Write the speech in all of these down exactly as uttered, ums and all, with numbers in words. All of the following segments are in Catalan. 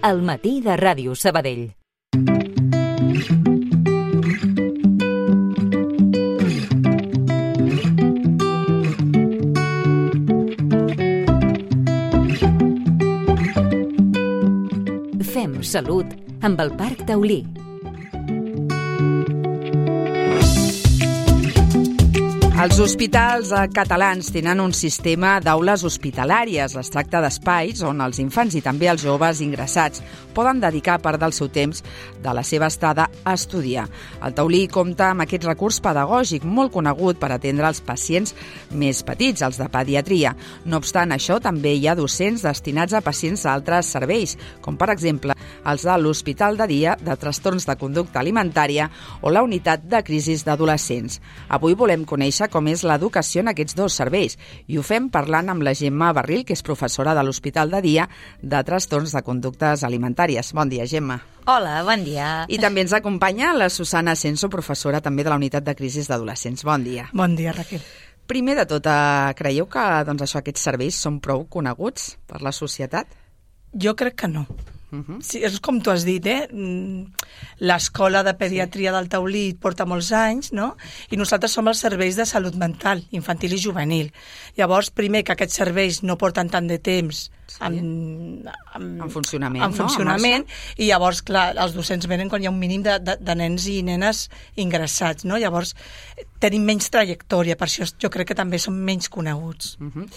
al matí de Ràdio Sabadell. Fem salut amb el Parc Taulí. Els hospitals catalans tenen un sistema d'aules hospitalàries. Es tracta d'espais on els infants i també els joves ingressats poden dedicar part del seu temps de la seva estada a estudiar. El Taulí compta amb aquest recurs pedagògic molt conegut per atendre els pacients més petits, els de pediatria. No obstant això, també hi ha docents destinats a pacients d'altres serveis, com per exemple els de l'Hospital de Dia de Trastorns de Conducta Alimentària o la Unitat de Crisis d'Adolescents. Avui volem conèixer com és l'educació en aquests dos serveis i ho fem parlant amb la Gemma Barril, que és professora de l'Hospital de Dia de Trastorns de Conductes Alimentàries. Bon dia, Gemma. Hola, bon dia. I també ens acompanya la Susana Senso, professora també de la Unitat de Crisis d'Adolescents. Bon dia. Bon dia, Raquel. Primer de tot, creieu que doncs, això, aquests serveis són prou coneguts per la societat? Jo crec que no. Uh-huh. Sí, és com tu has dit, eh? L'escola de pediatria sí. del Taulí porta molts anys, no? I nosaltres som els serveis de salut mental, infantil i juvenil. Llavors, primer, que aquests serveis no porten tant de temps sí. en, en, en funcionament, en funcionament no? I llavors, clar, els docents venen quan hi ha un mínim de, de, de nens i nenes ingressats, no? Llavors, tenim menys trajectòria, per això jo crec que també són menys coneguts. Uh-huh.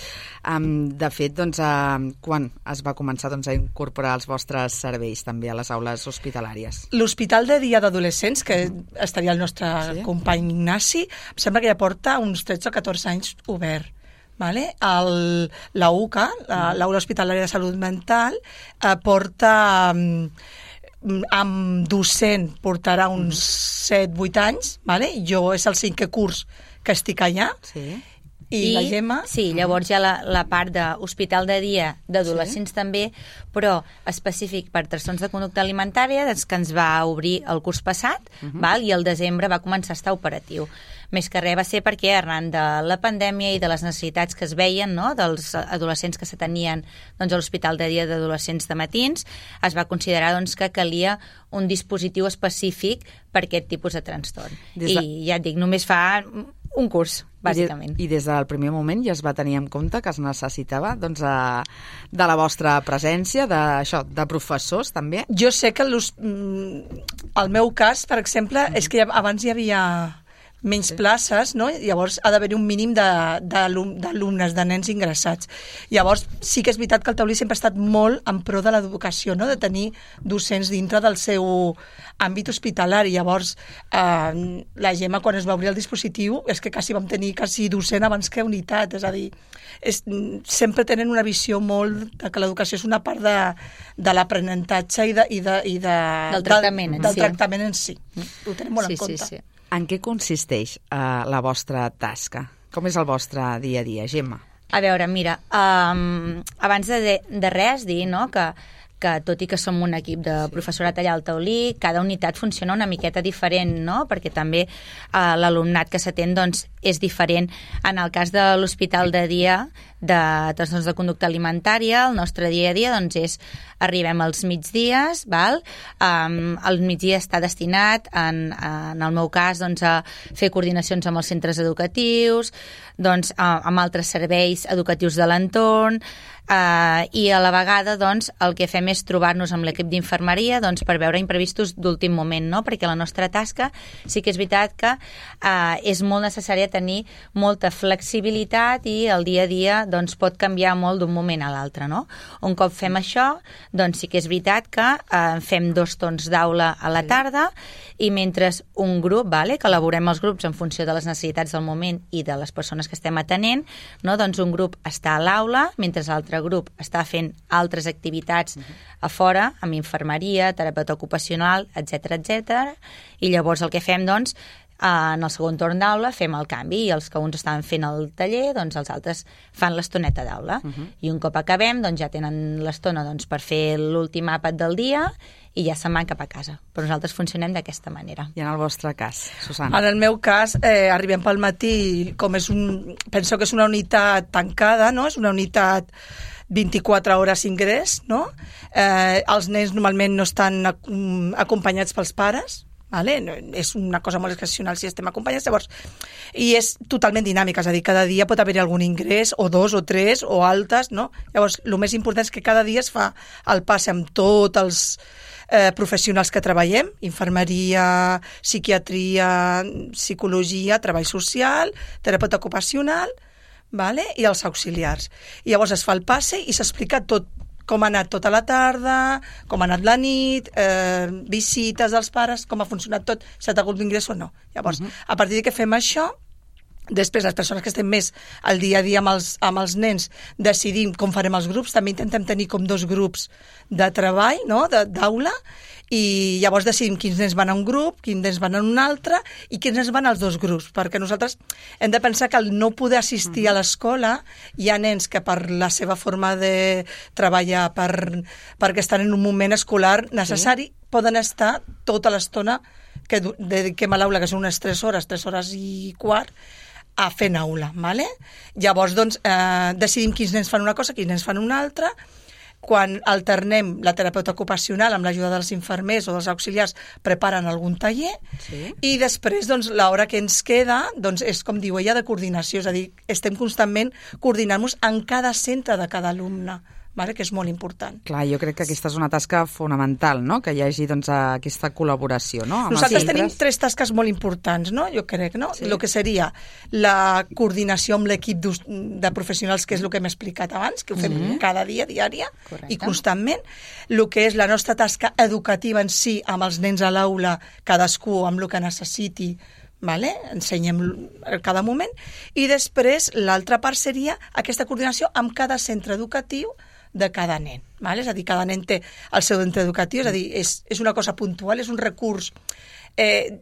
um, de fet, doncs, uh, quan es va començar doncs, a incorporar els vostres serveis també a les aules hospitalàries? L'Hospital de Dia d'Adolescents, que estaria el nostre sí. company Ignasi, em sembla que ja porta uns tretze o catorze anys obert. Vale? El, la U C A, l'Aula Hospitalària de Salut Mental, eh, porta... amb docent portarà uns set vuit anys, vale? Jo és el cinquè curs que estic allà, sí. I, I la Gemma... Sí, llavors hi ha la, la part d'hospital de dia d'adolescents sí. també, però específic per trastorns de conducta alimentària, doncs, que ens va obrir el curs passat, uh-huh. val? I el desembre va començar a estar operatiu. Més que res va ser perquè arran de la pandèmia i de les necessitats que es veien, no?, dels adolescents que s'atenien doncs, a l'Hospital de Dia d'Adolescents de Matins, es va considerar doncs, que calia un dispositiu específic per aquest tipus de trastorn. De... I ja et dic, només fa un curs, bàsicament. I, de, i des del primer moment ja es va tenir en compte que es necessitava doncs, a, de la vostra presència, de, això, de professors també? Jo sé que el meu cas, per exemple, mm. és que abans hi havia... menys sí. places, no? Llavors ha d'haver un mínim d'alumnes, de nens ingressats. Llavors sí que és veritat que el Taulí sempre ha estat molt en pro de l'educació, no? De tenir docents dintre del seu àmbit hospitalari. Llavors eh, la Gemma, quan es va obrir el dispositiu, és que quasi vam tenir quasi docent abans que unitat, és a dir, és, sempre tenen una visió molt de que l'educació és una part de, de l'aprenentatge i, de, i, de, i de, del tractament, del, del tractament en si. Ho tenem molt sí, en compte. Sí, sí. En què consisteix uh, la vostra tasca? Com és el vostre dia a dia, Gemma? A veure, mira, um, abans de, de res dir no, que, que tot i que som un equip de professorat allà al Taulí, cada unitat funciona una miqueta diferent, no? Perquè també uh, l'alumnat que s'atén doncs, és diferent. En el cas de l'Hospital de Dia de Trastorns de Conducta Alimentària, el nostre dia a dia doncs, és arribem als migdies, val? Um, el migdia està destinat, en, en el meu cas, doncs, a fer coordinacions amb els centres educatius, doncs, a, amb altres serveis educatius de l'entorn, uh, i a la vegada doncs, el que fem és trobar-nos amb l'equip d'infermeria doncs, per veure imprevistos d'últim moment, no? Perquè la nostra tasca sí que és veritat que uh, és molt necessària tenir molta flexibilitat i el dia a dia doncs, pot canviar molt d'un moment a l'altre, no? Un cop fem això, doncs sí que és veritat que eh, fem dos torns d'aula a la tarda i mentre un grup, vale, que elaborem els grups en funció de les necessitats del moment i de les persones que estem atenent, no? Doncs un grup està a l'aula, mentre l'altre grup està fent altres activitats a fora, amb infermeria, terapeuta ocupacional, etcètera, etcètera, i llavors el que fem, doncs, en el segon torn d'aula fem el canvi i els que uns estaven fent el taller, doncs els altres fan l'estoneta d'aula. Uh-huh. I un cop acabem, doncs ja tenen l'estona doncs, per fer l'últim àpat del dia i ja se'n van cap a casa. Però nosaltres funcionem d'aquesta manera. I en el vostre cas, Susana? En el meu cas, eh, arribem pel matí, com és un... penso que és una unitat tancada, no? És una unitat vint-i-quatre hores ingrés, no? Eh, els nens normalment no estan acompanyats pels pares, vale? No, és una cosa molt excepcional si estem acompanyats, llavors, i és totalment dinàmica, és a dir, cada dia pot haver-hi algun ingrés, o dos, o tres, o altes, no? Llavors, el més important és que cada dia es fa el passe amb tots els eh, professionals que treballem, infermeria, psiquiatria, psicologia, treball social, terapeuta ocupacional, vale? I els auxiliars. I llavors es fa el passe i s'explica tot, com ha anat tota la tarda, com ha anat la nit, eh, visites dels pares, com ha funcionat tot, si ha hagut d'ingrés o no. Llavors, uh-huh. a partir de que fem això, després les persones que estem més al dia a dia amb els, amb els nens decidim com farem els grups, també intentem tenir com dos grups de treball, no? d'aula, i llavors decidim quins nens van a un grup, quins nens van a un altre i quins nens van als dos grups, perquè nosaltres hem de pensar que al no poder assistir a l'escola hi ha nens que per la seva forma de treballar, per, perquè estan en un moment escolar necessari, sí. poden estar tota l'estona que dediquem a l'aula, que són unes tres hores, tres hores i quart, a fer aula, ¿vale? Llavors, doncs, eh, decidim quins nens fan una cosa, quins nens fan una altra. Quan alternem la terapeuta ocupacional amb l'ajuda dels infermers o dels auxiliars, preparen algun taller, sí. i després, doncs, l'hora que ens queda, doncs, és, com diu ella, de coordinació, és a dir, estem constantment coordinant-nos en cada centre de cada alumne, vale? Que és molt important. Clar, jo crec que aquesta és una tasca fonamental, no? Que hi hagi doncs, aquesta col·laboració, no? Amb Nosaltres els tenim tres tasques molt importants, no? Jo crec, no? Sí. El que seria la coordinació amb l'equip de professionals, que és el que hem explicat abans, que ho fem mm-hmm. cada dia, diària, correcte. I constantment. El que és la nostra tasca educativa en si, amb els nens a l'aula, cadascú amb el que necessiti, vale? Ensenyem cada moment, i després l'altra part seria aquesta coordinació amb cada centre educatiu de cada nen, vale? És a dir, cada nen té el seu centre educatiu, és a dir, és, és una cosa puntual, és un recurs eh,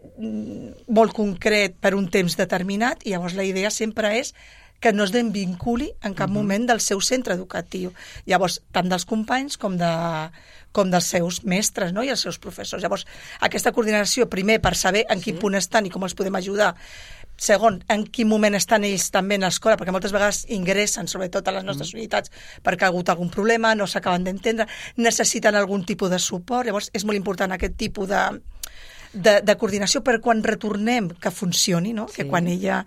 molt concret per un temps determinat, i llavors la idea sempre és que no es desvinculi en cap uh-huh. moment del seu centre educatiu. Llavors, tant dels companys com, de, com dels seus mestres, no? I els seus professors. Llavors, aquesta coordinació, primer, per saber en quin sí. punt estan i com els podem ajudar. Segon, en quin moment estan ells també en l'escola, perquè moltes vegades ingressen, sobretot a les nostres mm. unitats, perquè ha hagut algun problema, no s'acaben d'entendre, necessiten algun tipus de suport. Llavors, és molt important aquest tipus de, de, de coordinació per quan retornem que funcioni, no? Sí. Que quan ella,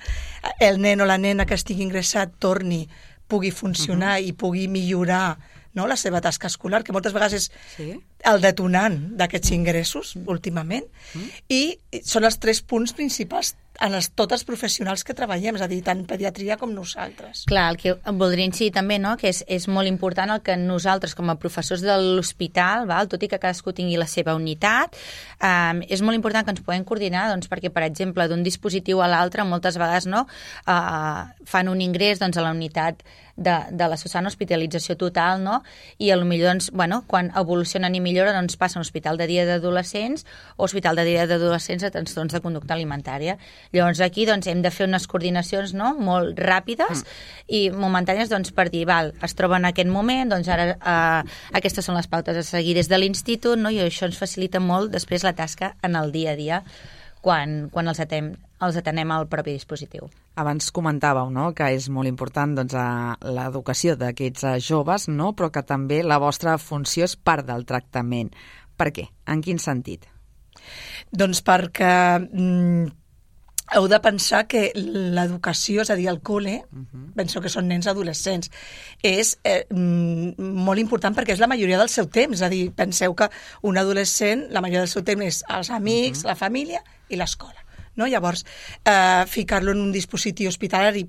el nen o la nena que estigui ingressat torni, pugui funcionar uh-huh. i pugui millorar, no? La seva tasca escolar, que moltes vegades és sí. el detonant d'aquests ingressos, mm. últimament, mm. i són els tres punts principals en els, tots els professionals que treballem, és a dir, tant pediatria com nosaltres. Clar, el que em voldria incidir també, no?, que és, és molt important el que nosaltres, com a professors de l'hospital, val? Tot i que cadascú tingui la seva unitat, eh, és molt important que ens puguem coordinar, doncs, perquè, per exemple, d'un dispositiu a l'altre, moltes vegades no, eh, fan un ingrés doncs, a la unitat de, de la Susana, hospitalització total, no? I potser, doncs, bueno, quan evolucionen i milloren, doncs passen a hospital de dia d'adolescents o hospital de dia d'adolescents a trastorns de conducta alimentària. Llavors aquí doncs, hem de fer unes coordinacions, no?, molt ràpides mm. i momentànies, doncs, per dir, val, es troba en aquest moment, doncs ara eh, aquestes són les pautes a seguir des de l'institut, no?, i això ens facilita molt després la tasca en el dia a dia quan, quan els atenem, els atenem al propi dispositiu. Abans comentàveu, no?, que és molt important doncs, l'educació d'aquests joves, no?, però que també la vostra funció és part del tractament. Per què? En quin sentit? Doncs perquè mm, heu de pensar que l'educació, és a dir, el col·le, uh-huh. penso que són nens adolescents, és eh, molt important perquè és la majoria del seu temps. És a dir, penseu que un adolescent, la majoria del seu temps és els amics, uh-huh. la família i l'escola. No? Llavors, eh, ficar-lo en un dispositiu hospitalari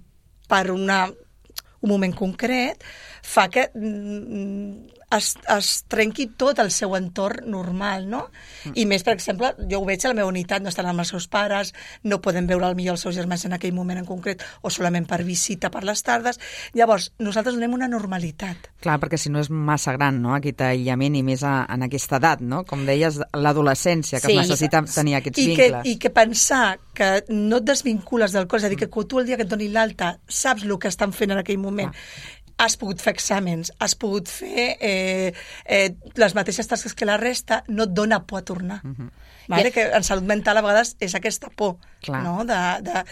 per una, un moment concret fa que mm, es, es trenqui tot el seu entorn normal, no? Mm. I més, per exemple, jo ho veig a la meva unitat, no estan amb els seus pares, no poden veure al millor els seus germans en aquell moment en concret, o solament per visita per les tardes. Llavors, nosaltres donem una normalitat. Clar, perquè si no és massa gran, no?, aquest aïllament, i més a, en aquesta edat, no? Com deies, l'adolescència, que sí, es necessita tenir aquests i vincles. Que, I que pensar que no et desvincules del cos, és a dir, que tu el dia que et doni l'alta saps el que estan fent en aquell moment, ah. has pogut fer exàmens, has pogut fer eh, eh, les mateixes tasques que la resta, no et dona por a tornar. Uh-huh. Vale? Que en salut mental a vegades és aquesta por, Clar. no? De, de,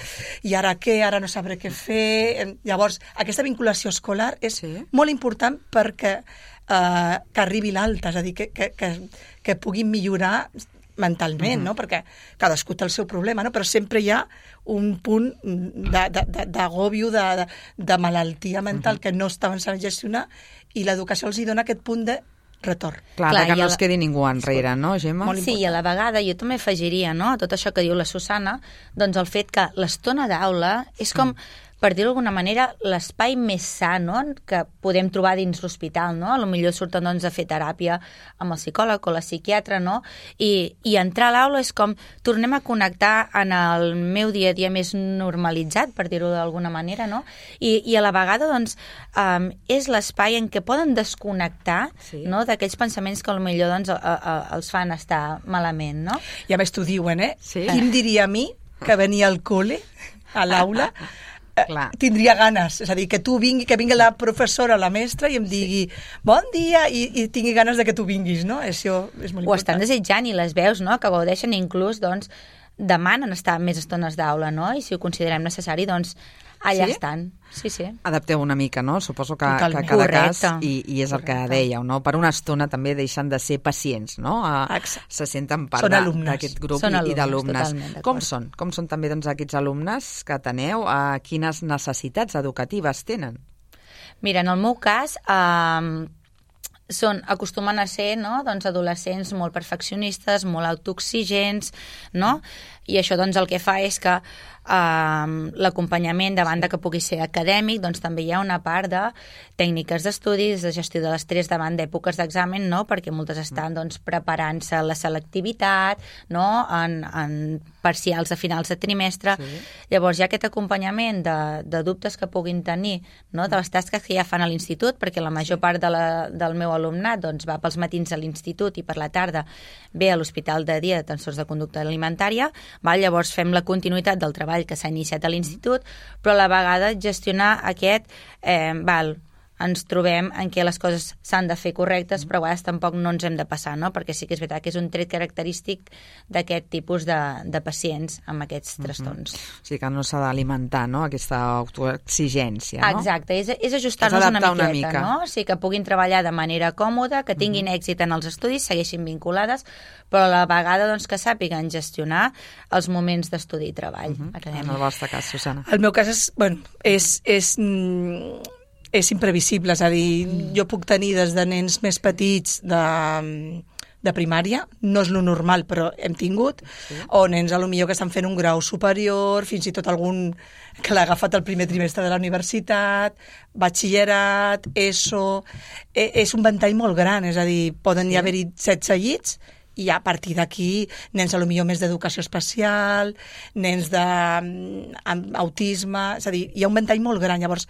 i ara què? Ara no sabré què fer. Llavors, aquesta vinculació escolar és sí. molt important perquè eh, que arribi l'alta, és a dir, que, que, que, que puguin millorar mentalment, uh-huh. no? Perquè cadascú té el seu problema, no? Però sempre hi ha un punt d'agòbio, de, de, de, de malaltia mental uh-huh. que no estaven sabent gestionar, i l'educació els hi dona aquest punt de retorn. Clar, Clar que no la... es quedi ningú enrere, no, Gemma? Sí, i a la vegada jo també afegiria, no?, a tot això que diu la Susana, doncs el fet que l'estona d'aula és com, per dir-ho d'alguna manera, l'espai més sa, no?, que podem trobar dins l'hospital, no? A lo millor surten doncs, a fer teràpia amb el psicòleg o la psiquiatra, no? I, i entrar a l'aula és com tornem a connectar en el meu dia a dia més normalitzat, per dir-ho d'alguna manera, no? I, i a la vegada, doncs, um, és l'espai en què poden desconnectar sí. no? d'aquells pensaments que a lo millor doncs, a, a, els fan estar malament, no? I a més t'ho diuen, eh? Sí. Qui em diria a mi que venia al col·le, a l'aula, Clar. tindria ganes, és a dir, que tu vingui, que vingui la professora, la mestra i em digui sí. bon dia i, i tingui ganes de que tu vinguis, no? Això és molt important. Ho estan desitjant i les veus, no?, que gaudeixen, inclús, doncs, demanen estar més estones d'aula, no? I si ho considerem necessari, doncs, allà sí? estan. Sí, sí. Adapteu una mica, no? Suposo que, Totalment. que cada Correcte. cas, i, i és el que dèieu, no? Per una estona també deixen de ser pacients, no? A, se senten part d'aquest grup són i, alumnes, i d'alumnes. Com d'acord. són? Com són també doncs, aquests alumnes que teneu? A quines necessitats educatives tenen? Mira, en el meu cas, eh, són, acostumen a ser, no?, doncs, adolescents molt perfeccionistes, molt autoexigents, no? I això doncs, el que fa és que eh, l'acompanyament, davant de que pugui ser acadèmic, doncs també hi ha una part de tècniques d'estudis, de gestió de l'estrès davant d'èpoques d'examen, no?, perquè moltes estan doncs, preparant-se a la selectivitat, no?, en, en parcials a finals de trimestre. Sí. Llavors hi ha aquest acompanyament de, de dubtes que puguin tenir, no?, de les tasques que ja fan a l'institut, perquè la major part de la, del meu alumnat doncs, va pels matins a l'institut i per la tarda ve a l'hospital de dia de trastorns de conducta alimentària. Val? Llavors fem la continuïtat del treball que s'ha iniciat a l'institut, però a la vegada gestionar aquest, eh, val, ens trobem en què les coses s'han de fer correctes, però a vegades tampoc no ens hem de passar, no? Perquè sí que és veritat que és un tret característic d'aquest tipus de, de pacients amb aquests trastorns. Mm-hmm. O sigui que no s'ha d'alimentar, no?, aquesta autoexigència, no? Exacte, és, és ajustar-nos una miqueta, una mica. No? O sigui, que puguin treballar de manera còmoda, que tinguin mm-hmm. èxit en els estudis, segueixin vinculades, però a la vegada doncs, que sàpiguen gestionar els moments d'estudi i treball mm-hmm. acadèmic. En el vostre cas, Susana. El meu cas és, bueno, és, és, és imprevisible, és a dir, mm. jo puc tenir des de nens més petits de, de primària, no és lo normal, però hem tingut, sí. o nens a lo millor que estan fent un grau superior, fins i tot algun que l'ha agafat el primer trimestre de la universitat, batxillerat, ESO... E, és un ventall molt gran, és a dir, poden sí. hi haver-hi setze llits, i a partir d'aquí nens a lo millor més d'educació especial, nens d'autisme, és a dir, hi ha un ventall molt gran, llavors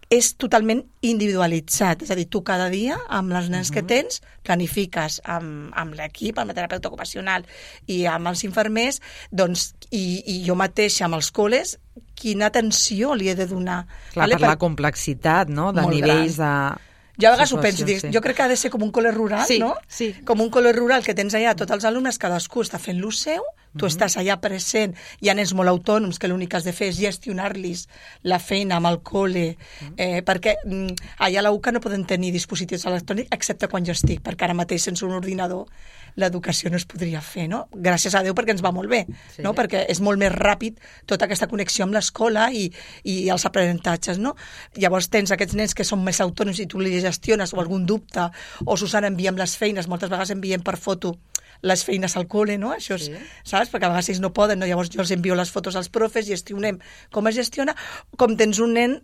és totalment individualitzat, és a dir, tu cada dia amb els nens uh-huh. que tens planifiques amb, amb l'equip, amb el terapeuta ocupacional i amb els infermers, doncs, i, i jo mateixa amb els col·les, quina atenció li he de donar. Clar, vale? Per la complexitat, no?, de nivells gran. de... Jo a vegades ho penso, dic, sí. jo crec que ha de ser com un col·le rural, sí, no? Sí. Com un col·le rural que tens allà tots els alumnes, cadascú està fent lo seu, tu mm-hmm. estàs allà present, hi ha nens molt autònoms que l'únic que has de fer és gestionar-los la feina amb el col·le, eh, perquè mm, allà a la U C A no poden tenir dispositius electrònics excepte quan jo estic, perquè ara mateix sense un ordinador l'educació no es podria fer, no? Gràcies a Déu perquè ens va molt bé, sí. no? Perquè és molt més ràpid tota aquesta connexió amb l'escola i, i els aprenentatges, no? Llavors tens aquests nens que són més autònoms i tu li gestiones o algun dubte, o Susana enviem les feines, moltes vegades enviem per foto les feines al col·le, no? Això és, sí. saps? Perquè a vegades ells no poden, no? Llavors jo els envio les fotos als profes, gestionem com es gestiona, com tens un nen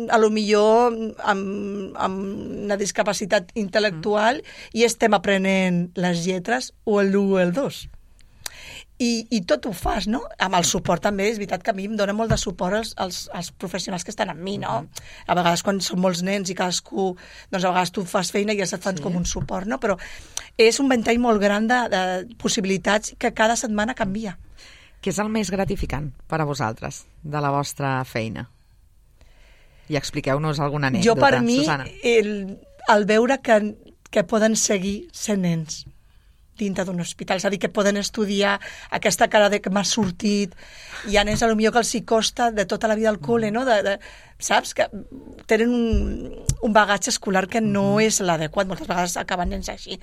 a lo millor amb, amb una discapacitat intel·lectual mm. i estem aprenent les lletres o l'u o el dos. I, i tot ho fas, no? Amb el suport també, és veritat que a mi em dona molt de suport els, els, els professionals que estan amb mi, no? A vegades quan són molts nens i cadascú, doncs a vegades tu fas feina i ja se't fan sí. com un suport, no? Però és un ventall molt gran de, de possibilitats que cada setmana canvia. Què és el més gratificant per a vosaltres de la vostra feina? I expliqueu-nos alguna anècdota, jo, per mi, Susana. el, el veure que, que poden seguir sent nens dintre d'un hospital, és a dir, que poden estudiar aquesta cara de que m'ha sortit, hi ha nens a lo millor que els hi costa de tota la vida al col·le, no? De, de, saps? Que tenen un, un bagatge escolar que no és l'adequat, moltes vegades acaben nens així,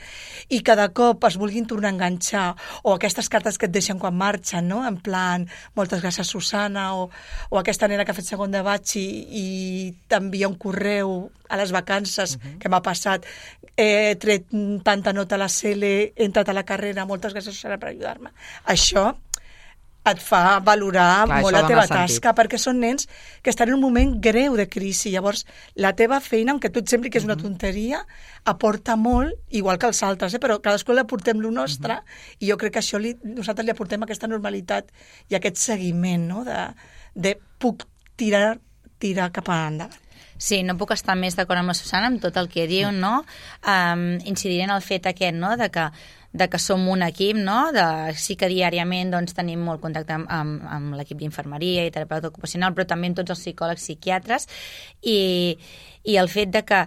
i cada cop es vulguin tornar a enganxar, o aquestes cartes que et deixen quan marxen, no? En plan, moltes gràcies Susana, o, o aquesta nena que ha fet segon de batx i, i t'envia un correu a les vacances, uh-huh. que m'ha passat, he tret tanta nota a la C L, he entrat a la carrera, moltes gràcies Susana per ajudar-me. Això et fa valorar Clar, molt la teva sentit. tasca, perquè són nens que estan en un moment greu de crisi. Llavors, la teva feina, aunque tu et sembli que és una tonteria, aporta molt, igual que els altres, eh? Però cadascú li aportem lo nostre, uh-huh. i jo crec que això li, nosaltres li aportem aquesta normalitat i aquest seguiment, no? de, de puc tirar, tirar cap endavant. Sí, no puc estar més d'acord amb la Susana, amb tot el que diu, no? Um, incidiré en el fet aquest, no?, de que de que som un equip, no? De, sí que diàriament doncs, tenim molt contacte amb, amb, amb l'equip d'infermeria i terapeuta ocupacional, però també amb tots els psicòlegs, psiquiatres, i, i el fet de que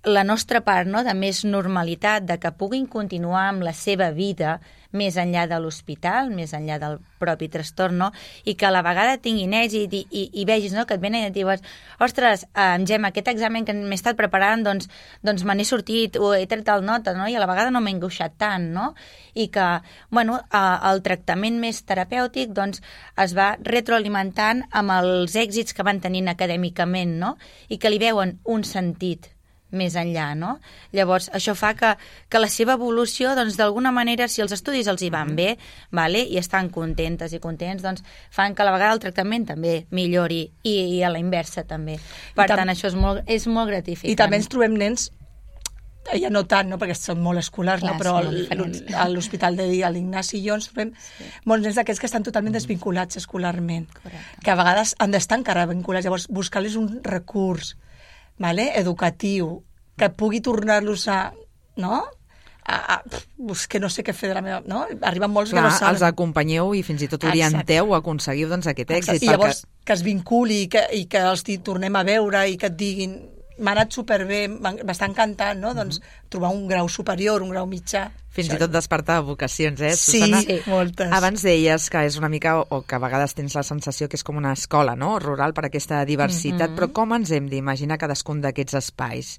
la nostra part, no?, de més normalitat, de que puguin continuar amb la seva vida més enllà de l'hospital, més enllà del propi trastorn, no? I que a la vegada tinguin èxit i, i, i vegis, no?, que et venen i et diuen ostres, eh, Gemma, aquest examen que m'he estat preparant, doncs, doncs me n'he sortit, o he tret el nota, no?, i a la vegada no m'he angoixat tant, no? I que, bueno, eh, el tractament més terapèutic, doncs, es va retroalimentant amb els èxits que van tenint acadèmicament, no? I que li veuen un sentit més enllà, no? Llavors, això fa que, que la seva evolució, doncs, d'alguna manera, si els estudis els hi van bé, vale? I estan contentes i contents, doncs, fan que a la vegada el tractament també millori, i, i a la inversa també. Per tant, tam- això és molt, és molt gratificant. I també ens trobem nens, ja no tant, no? Perquè són molt escolars, Clar, no? Però al, a l'Hospital de dia, a l'Ignasi i jo, ens trobem sí. molts nens d'aquests que estan totalment desvinculats escolarment, correcte. Que a vegades han d'estar encara vinculats, llavors buscar-los un recurs, vale? Educatiu, que pugui tornar-los a, no? A, a, pf, que no sé què fer de la meva... No? Arriben molts Clar, que no saben. els acompanyeu i fins i tot orienteu, aconseguiu doncs, aquest èxit. Exacte. I llavors perquè... que es vinculi i que, i que els tornem a veure i que et diguin m'ha anat superbé, m'està encantant, no? Mm-hmm. Doncs trobar un grau superior, un grau mitjà. Fins això... i tot despertar vocacions, eh, sí, Susana? Sí, moltes. Abans deies que és una mica, o que a vegades tens la sensació que és com una escola, no?, rural, per aquesta diversitat, mm-hmm. però com ens hem d'imaginar cadascun d'aquests espais?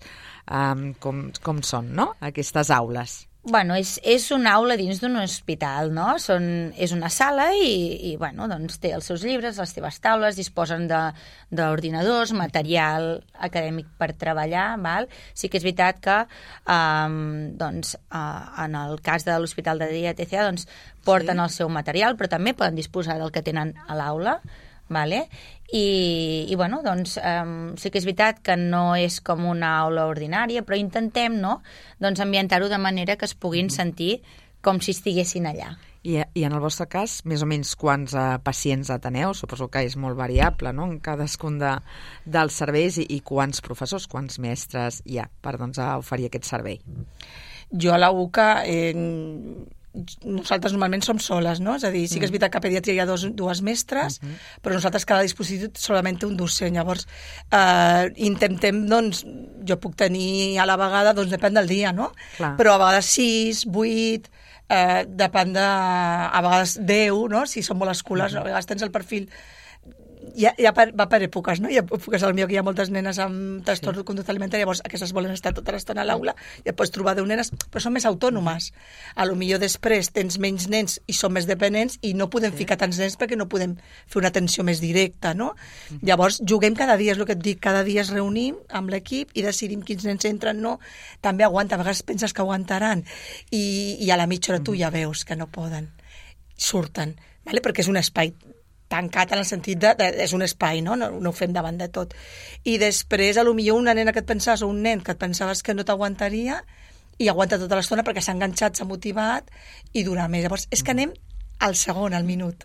Um, com, com són, no?, aquestes aules? Bueno, és, és una aula dins d'un hospital, no? Són, és una sala i, i bueno, doncs té els seus llibres, les seves taules, disposen d'ordinadors, material acadèmic per treballar, val? Sí que és veritat que um, doncs, uh, en el cas de l'Hospital de Dia T C A doncs, porten sí. el seu material, però també poden disposar del que tenen a l'aula, vale? I, i bueno, doncs um, sí que és veritat que no és com una aula ordinària, però intentem, no?, doncs ambientar-ho de manera que es puguin sentir com si estiguessin allà. I, i en el vostre cas, més o menys quants uh, pacients ateneu? Suposo que és molt variable, no?, en cadascun de, dels serveis, i, i quants professors, quants mestres hi ha per doncs, a oferir aquest servei? Jo a la U C A... Eh, nosaltres normalment som soles, no? És a dir, sí que és veritat que a pediatria hi ha dos, dues mestres, uh-huh. però nosaltres cada dispositiu solament té un docent. Llavors, eh, intentem, doncs, jo puc tenir a la vegada, doncs depèn del dia, no? Clar. Però a vegades sis, vuit, eh, depèn de... a vegades deu, no? Si són molt escolars, uh-huh. a vegades tens el perfil... Ja, ja per, va per èpoques, no? Hi ha èpoques al meu que hi ha moltes nenes amb trastorn sí. de conducta alimentària, llavors aquestes volen estar tota l'estona a l'aula, i et pots trobar deu nenes, però són més autònomes. A lo millor després tens menys nens i són més dependents i no podem sí. ficar tants nens perquè no podem fer una atenció més directa, no? Mm. Llavors, juguem cada dia, és el que et dic, cada dia es reunim amb l'equip i decidim quins nens entren, no? També aguanta, a vegades penses que aguantaran i, i a la mitja hora tu ja veus que no poden. Surten, vale? Perquè és un espai tancat en el sentit de, de és un espai, no? no? No ho fem davant de tot. I després, a lo millor una nena que et pensaves o un nen que et pensaves que no t'aguantaria i aguanta tota l'estona perquè s'ha enganxat, s'ha motivat i dura més. Llavors, és que anem al segon, al minut.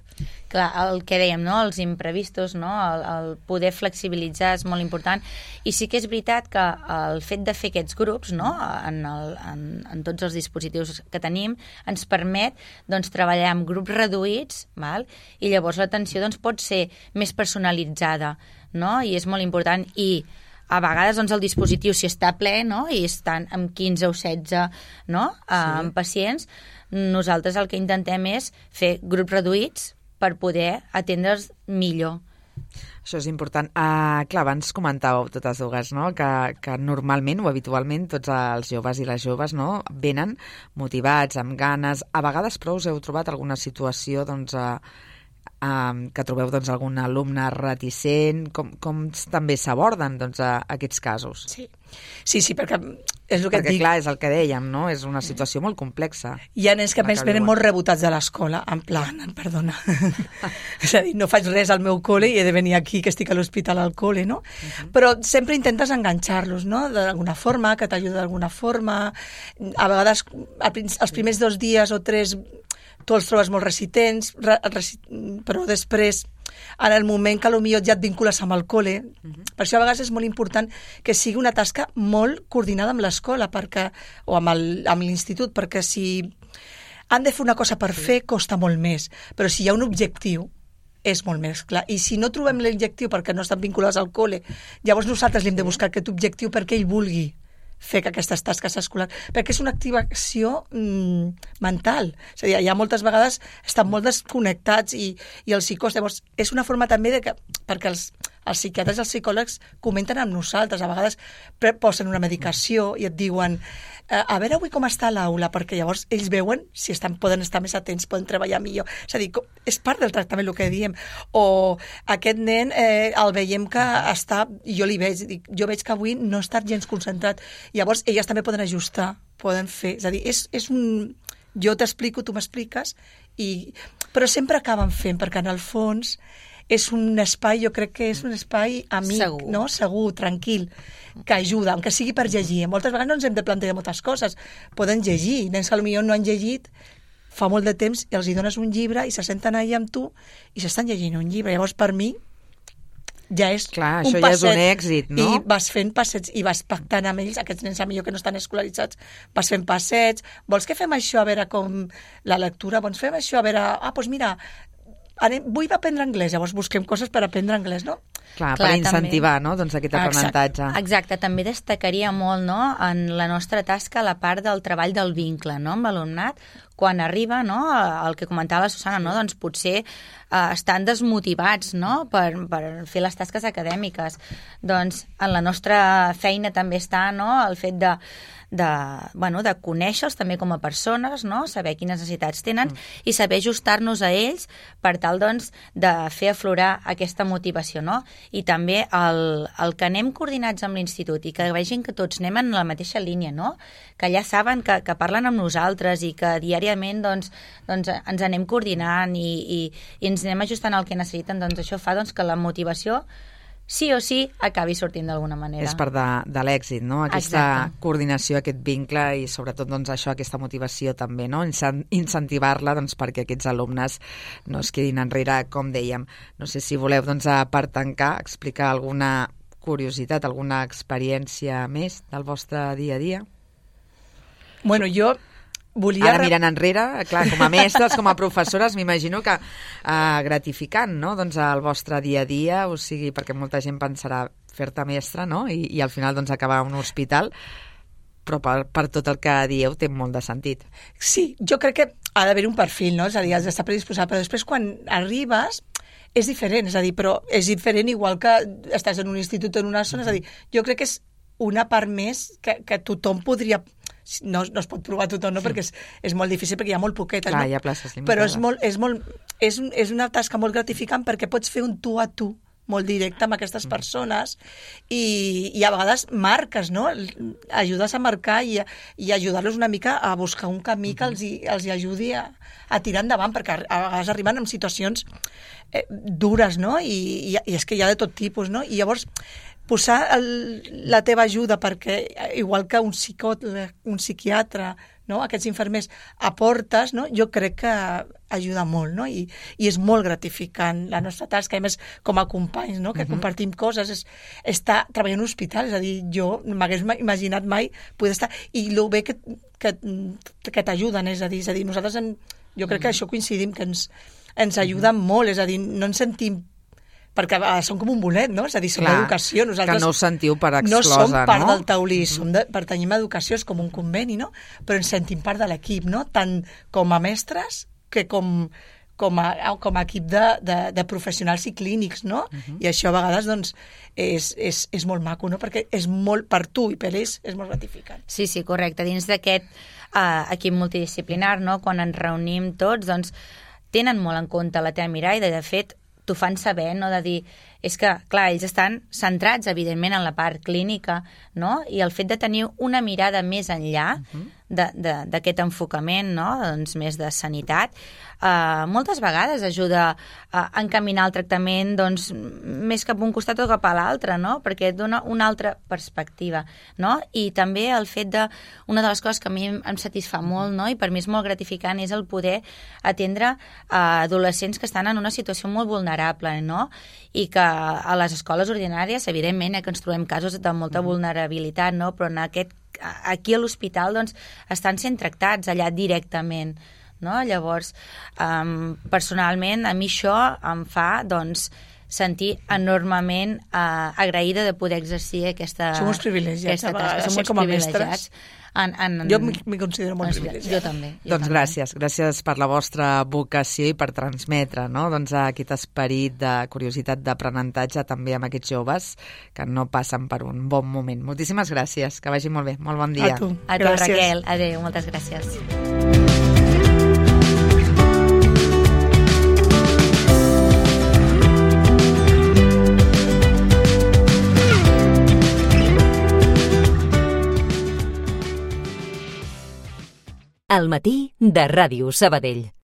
Clar, el que dèiem, no? Els imprevistos, no? El, el poder flexibilitzar és molt important, i sí que és veritat que el fet de fer aquests grups, no? en, el, en, en tots els dispositius que tenim, ens permet doncs, treballar amb grups reduïts, val? I llavors l'atenció doncs, pot ser més personalitzada, no? I és molt important. I a vegades doncs, el dispositiu, si està ple, no? I estan amb quinze o setze, no? Sí. Um, pacients, nosaltres el que intentem és fer grups reduïts per poder atendre'ls millor. Això és important. Uh, clar, abans comentàveu totes dues, no?, que, que normalment o habitualment tots els joves i les joves, no?, venen motivats, amb ganes. A vegades, però, us heu trobat alguna situació, doncs, uh, uh, que trobeu, doncs, algun alumne reticent? Com, com també s'aborden, doncs, a, a aquests casos? Sí, sí, sí, perquè és el que perquè, et dic. clar, és el que dèiem, no?, és una situació molt complexa. Hi ha nens que, a més, venen molt rebotats de l'escola, en plan, perdona, és a dir, no faig res al meu col·le i he de venir aquí, que estic a l'hospital al col·le, no? Uh-huh. Però sempre intentes enganxar-los, no?, d'alguna forma, que t'ajuda d'alguna forma. A vegades, els primers dos dies o tres, tu els trobes molt resistents, re, resi, però després, en el moment que potser ja et vincules amb el col·le, uh-huh. Per això a vegades és molt important que sigui una tasca molt coordinada amb l'escola perquè, o amb, el, amb l'institut, perquè si han de fer una cosa per fer, costa molt més. Però si hi ha un objectiu, és molt més clar. I si no trobem l'objectiu perquè no estan vinculats al col·le, llavors nosaltres li hem de buscar aquest objectiu perquè ell vulgui fer que aquestes tasques escolars, perquè és una activació mm, mental. És a dir, hi ha moltes vegades estan molt desconnectats i, i els psicòlegs, llavors és una forma també de que, perquè els, els psiquiatres i els psicòlegs comenten amb nosaltres, a vegades posen una medicació i et diuen a veure avui com està l'aula, perquè llavors ells veuen si estan, poden estar més atents, poden treballar millor. És a dir, és part del tractament el que diem. O aquest nen eh, el veiem que està, jo li veig, dic, jo veig que avui no està gens concentrat. Llavors elles també poden ajustar, poden fer. És a dir, és, és un... Jo t'explico, tu m'expliques, i... però sempre acaben fent, perquè en el fons és un espai, jo crec que és un espai amic, segur, no? Segur, tranquil, que ajuda, aunque sigui per llegir. Moltes vegades no ens hem de plantejar moltes coses. Poden llegir, nens que potser no han llegit fa molt de temps i els hi dones un llibre i se senten allà amb tu i s'estan llegint un llibre. Llavors, per mi, ja és clar, un això passet. Ja és un èxit, no? I vas fent passets i vas pactant amb ells, aquests nens millor que no estan escolaritzats, vas fent passets, vols que fem això a veure com la lectura, vols fem això a veure, ah, doncs mira, anem, vull aprendre anglès, llavors busquem coses per aprendre anglès, no? Clar, Clar, per incentivar, també. no?, doncs aquest aprenentatge. Exacte. Exacte, també destacaria molt, no?, en la nostra tasca la part del treball del vincle, no?, amb l'alumnat, quan arriba, no?, el que comentava la Susana, no?, doncs potser eh, estan desmotivats, no?, per, per fer les tasques acadèmiques. Doncs en la nostra feina també està, no?, el fet de de, bueno, de conèixer-los també com a persones, no? Saber quines necessitats tenen mm. i saber ajustar-nos a ells per tal, doncs, de fer aflorar aquesta motivació, no? I també el, el que anem coordinats amb l'institut i que vegin que tots anem en la mateixa línia, no? Que ja saben que, que parlen amb nosaltres i que diàriament, doncs, doncs ens anem coordinant i, i, i ens anem ajustant al que necessiten, doncs això fa, doncs, que la motivació sí o sí acabi sortint d'alguna manera. És part de, de l'èxit, no? Aquesta Exacte. Coordinació, aquest vincle i sobretot doncs, això, aquesta motivació també, no? Incentivar-la doncs, perquè aquests alumnes no es quedin enrere, com dèiem. No sé si voleu, doncs, per tancar, explicar alguna curiositat, alguna experiència més del vostre dia a dia? Bueno, jo volia... Ara mirant enrere, clar, com a mestres, com a professores, m'imagino que uh, gratificant, no?, doncs el vostre dia a dia, o sigui, perquè molta gent pensarà fer-te mestre, no?, I, i al final doncs acabar a un hospital, però per, per tot el que dieu té molt de sentit. Sí, jo crec que ha d'haver un perfil, no?, és a dir, has d'estar predisposat, però després quan arribes és diferent, és a dir, però és diferent igual que estàs en un institut o en una zona, és a dir, jo crec que és una part més que, que tothom podria... No, no es pot provar tothom, no? Perquè és, és molt difícil, perquè hi ha molt poquetes. Clar, no? Hi ha places limitades. Però és, molt, és, molt, és, un, és una tasca molt gratificant perquè pots fer un tu a tu molt directe amb aquestes persones i, i a vegades marques, no? Ajudes a marcar i, i ajudar-los una mica a buscar un camí que els hi, els hi ajudi a, a tirar endavant, perquè a vegades arriben en situacions eh, dures, no? I, i, i és que hi ha de tot tipus, no? I llavors posar el, la teva ajuda perquè, igual que un psicòleg, un psiquiatre, no? Aquests infermers aportes, no? Jo crec que ajuda molt, no? I, i és molt gratificant la nostra tasca, a més com a companys, no? Que uh-huh. compartim coses, és estar treballant en un hospital, és a dir, jo no m'hagués imaginat mai poder estar, i el bé que, que, que t'ajuden, és a dir, és a dir, nosaltres en, jo crec que això coincidim, que ens, ens ajuden molt, és a dir, no ens sentim perquè uh, són com un bolet, no? És a dir, som Clar, d'educació. Nosaltres que no us sentiu per exclosa, no? som part no? del taulí, mm-hmm. som de, pertanyim a educació, és com un conveni, no? Però ens sentim part de l'equip, no? Tant com a mestres que com, com, a, com a equip de, de, de professionals i clínics, no? Mm-hmm. I això a vegades, doncs, és, és, és molt maco, no? Perquè és molt, per tu i per ells, és molt gratificant. Sí, sí, correcte. Dins d'aquest uh, equip multidisciplinar, no? Quan ens reunim tots, doncs, tenen molt en compte la teva mirada i, de fet, t'ho fan saber, no? De dir, és que, clar, ells estan centrats, evidentment, en la part clínica, no? I el fet de tenir una mirada més enllà uh-huh. d'aquest enfocament, no? Doncs més de sanitat, eh, moltes vegades ajuda a encaminar el tractament, doncs, més cap a un costat o cap a l'altre, no? Perquè et dona una altra perspectiva, no? I també el fet de, una de les coses que a mi em satisfà molt, no? I per mi és molt gratificant, és el poder atendre a adolescents que estan en una situació molt vulnerable, no? I que a les escoles ordinàries, evidentment, eh, que ens trobem casos de molta mm-hmm. vulnerabilitat, no? Però en aquest, aquí a l'hospital, doncs, estan sent tractats allà directament, no? Llavors, um, personalment, a mi això em fa, doncs, sentir enormement uh, agraïda de poder exercir aquesta, som uns privilegiats, aquesta tasca. Som uns com a privilegiats. En, en, jo m'hi considero molt privilegiat. Jo també. Jo doncs també. gràcies, gràcies per la vostra vocació i per transmetre, no? Doncs aquest esperit de curiositat d'aprenentatge també amb aquests joves que no passen per un bon moment. Moltíssimes gràcies, que vagi molt bé, molt bon dia. A tu, A tu gràcies. Raquel, adéu, moltes gràcies. Al matí de Ràdio Sabadell.